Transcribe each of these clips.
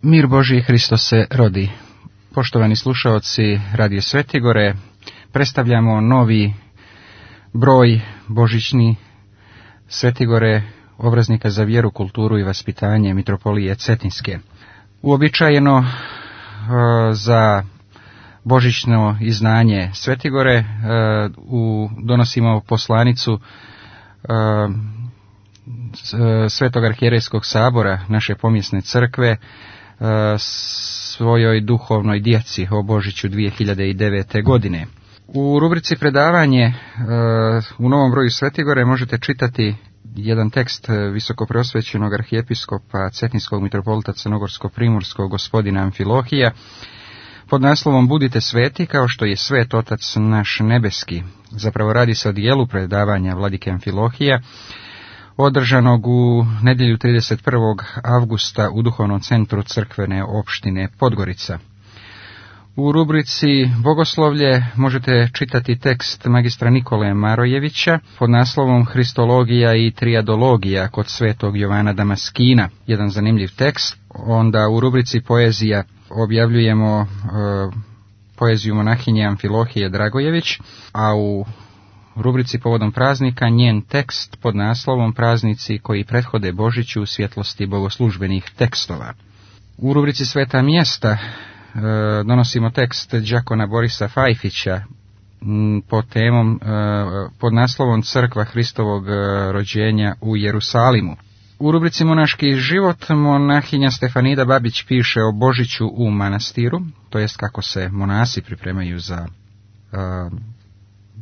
Mir Božji, Hristos se rodi. Poštovani slušaoci Radio Svetigore, predstavljamo novi broj božićni Svetigore, obraznika za vjeru, kulturu i vaspitanje Mitropolije Cetinske. Uobičajeno za božićno izdanje Svetigore donosimo poslanicu Svetog arhijerejskog sabora naše pomjesne crkve svojoj duhovnoj djeci o Božiću 2009. godine. U rubrici predavanje u novom broju Svetigore možete čitati jedan tekst visokopreosvećenog arhijepiskopa Cetinskog mitropolita Crnogorsko-primorskog gospodina Amfilohija pod naslovom Budite sveti kao što je svet Otac naš nebeski. Zapravo radi se o dijelu predavanja vladike Amfilohija održanog u nedjelju 31. avgusta u duhovnom centru crkvene opštine Podgorica. U rubrici Bogoslovlje možete čitati tekst magistra Nikole Marojevića pod naslovom Hristologija i triadologija kod svetog Jovana Damaskina. Jedan zanimljiv tekst. Onda u rubrici Poezija objavljujemo poeziju monahinje Amfilohije Dragojević, a u rubrici Povodom praznika njen tekst pod naslovom Praznici koji prethode Božiću u svjetlosti bogoslužbenih tekstova. U rubrici Sveta mjesta donosimo tekst đakona Borisa Fajfića pod naslovom Crkva Hristovog rođenja u Jerusalimu. U rubrici Monaški život monahinja Stefanida Babić piše o Božiću u manastiru, to jest kako se monasi pripremaju za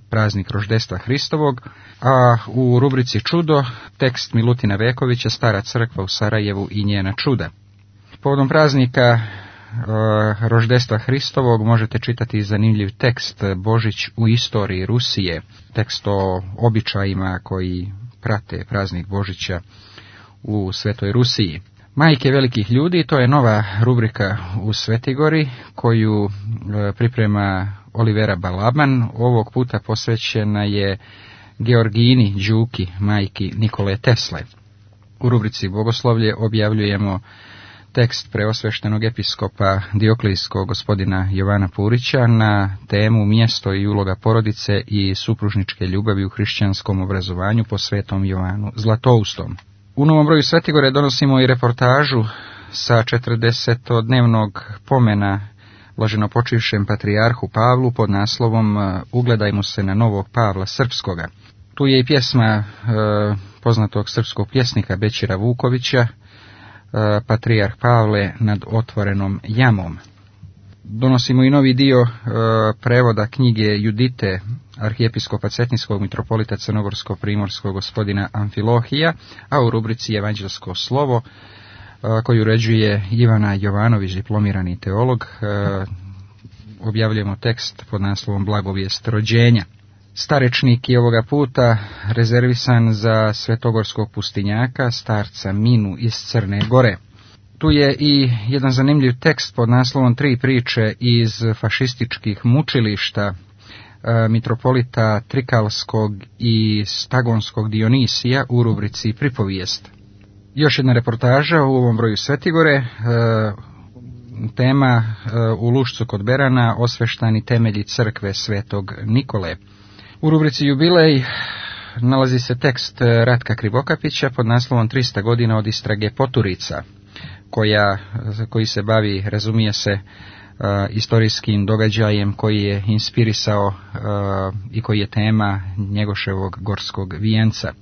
praznik roždestva Hristovog, a u rubrici Čudo tekst Milutina Vekovića Stara crkva u Sarajevu i njena čuda. Povodom praznika roždestva Hristovog možete čitati zanimljiv tekst Božić u istoriji Rusije, tekst o običajima koji prate praznik Božića u Svetoj Rusiji. Majke velikih ljudi, to je nova rubrika u Svetigori koju priprema Olivera Balaban. Ovog puta posvećena je Georgini Đuki, majki Nikole Tesle. U rubrici Bogoslovlje objavljujemo tekst preosveštenog episkopa Dioklijskog gospodina Jovana Purića na temu Mjesto i uloga porodice i supružničke ljubavi u hrišćanskom obrazovanju po svetom Jovanu Zlatoustom. U novom broju Svetigore donosimo i reportažu sa 40-dnevnog pomena blaženopočivšem patrijarhu Pavlu pod naslovom Ugledajmo se na novog Pavla Srpskoga. Tu je i pjesma poznatog srpskog pjesnika Bećira Vukovića, Patrijarh Pavle nad otvorenom jamom. Donosimo i novi dio prevoda knjige Judite arhijepiskopa Cetinskog mitropolita Crnogorsko-primorskog gospodina Amfilohija, a u rubrici Evanđelsko slovo koju uređuje Ivana Jovanović, diplomirani teolog, objavljujemo tekst pod naslovom Blagovijest rođenja. Starečnik je ovoga puta rezervisan za svetogorskog pustinjaka, starca Minu iz Crne Gore. Tu je i jedan zanimljiv tekst pod naslovom Tri priče iz fašističkih mučilišta mitropolita Trikalskog i Stagonskog Dionisija u rubrici Pripovijest. Još jedna reportaža u ovom broju Svetigore, tema u Lušcu kod Berana, osveštani temelji crkve Svetog Nikole. U rubrici Jubilej nalazi se tekst Ratka Krivokapića pod naslovom 300 godina od istrage Poturica, koji se bavi, razumije se, istorijskim događajem koji je inspirisao i koji je tema Njegoševog gorskog vijenca.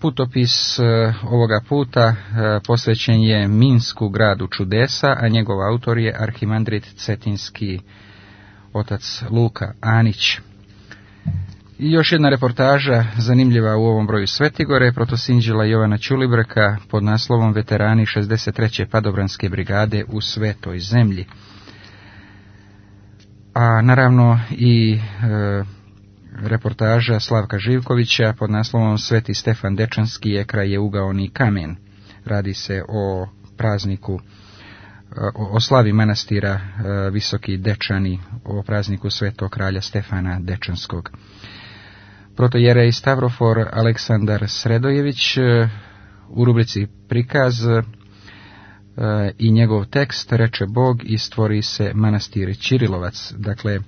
Putopis ovoga puta posvećen je Minsku, gradu čudesa, a njegov autor je arhimandrit cetinski otac Luka Anić. I još jedna reportaža zanimljiva u ovom broju Svetigore, protosinđela Jovana Ćulibrka pod naslovom Veterani 63. padobranske brigade u Svetoj zemlji. A naravno i reportaža Slavka Živkovića pod naslovom Sveti Stefan Dečanski je kraj je ugaoni kamen. Radi se o prazniku, o slavi manastira Visoki Dečani, o prazniku svetog kralja Stefana Dečanskog. Protojerej Stavrofor Aleksandar Sredojević u rubrici Prikaz i njegov tekst reče Bog i stvori se manastir Ćirilovac. Dakle,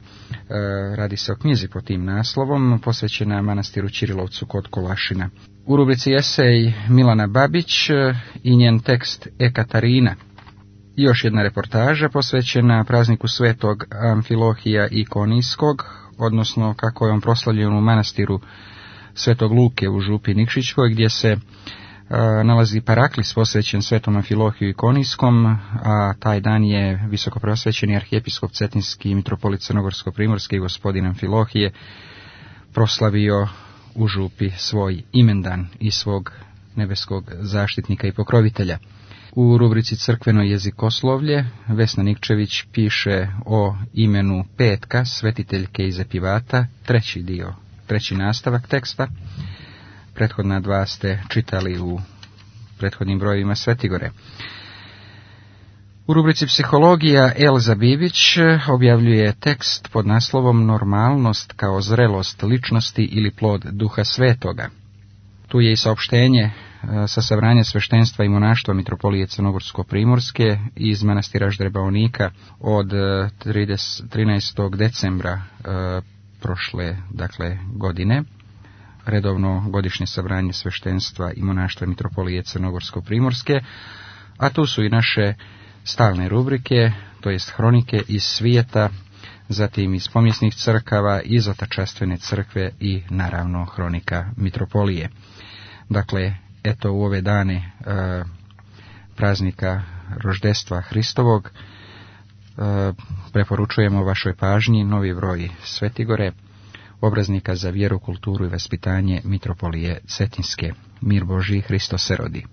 radi se o knjizi pod tim naslovom, posvećena manastiru Ćirilovcu kod Kolašina. U rubrici esej Milana Babić i njen tekst Katarina. I još jedna reportaža posvećena prazniku svetog Amfilohija Ikonijskog, odnosno kako je on proslavljen u manastiru Svetog Luke u Župi Nikšićkoj, gdje se nalazi paraklis posvećen svetom Amfilohiju Ikonijskom, a taj dan je visoko preosvećeni arhijepiskop Cetinski mitropolit Crnogorsko-primorski gospodin Amfilohije proslavio u Župi svoj imendan i svog nebeskog zaštitnika i pokrovitelja. U rubrici Crkveno jezikoslovlje Vesna Nikčević piše o imenu Petka, svetiteljke iz Epivata, treći nastavak teksta. Prethodna dva ste čitali u prethodnim brojevima Svetigore. U rubrici Psihologija Elza Bibić objavljuje tekst pod naslovom Normalnost kao zrelost ličnosti ili plod Duha Svetoga. Tu je i saopštenje sa sabranja sveštenstva i monaštva mitropolije Crnogorsko-primorske iz manastira Ždrebaonika od 13. decembra prošle godine. Redovno godišnje sabranje sveštenstva i monaštva mitropolije Crnogorsko-primorske, a tu su i naše stalne rubrike, to jest hronike iz svijeta, zatim iz pomjesnih crkava, iz otačastvene crkve i naravno hronika mitropolije. Dakle, eto u ove dane praznika roždestva Hristovog preporučujemo vašoj pažnji novi broj Svetigore, obraznika za vjeru, kulturu i vaspitanje mitropolije Cetinske. Mir Božji, Hristos se rodi.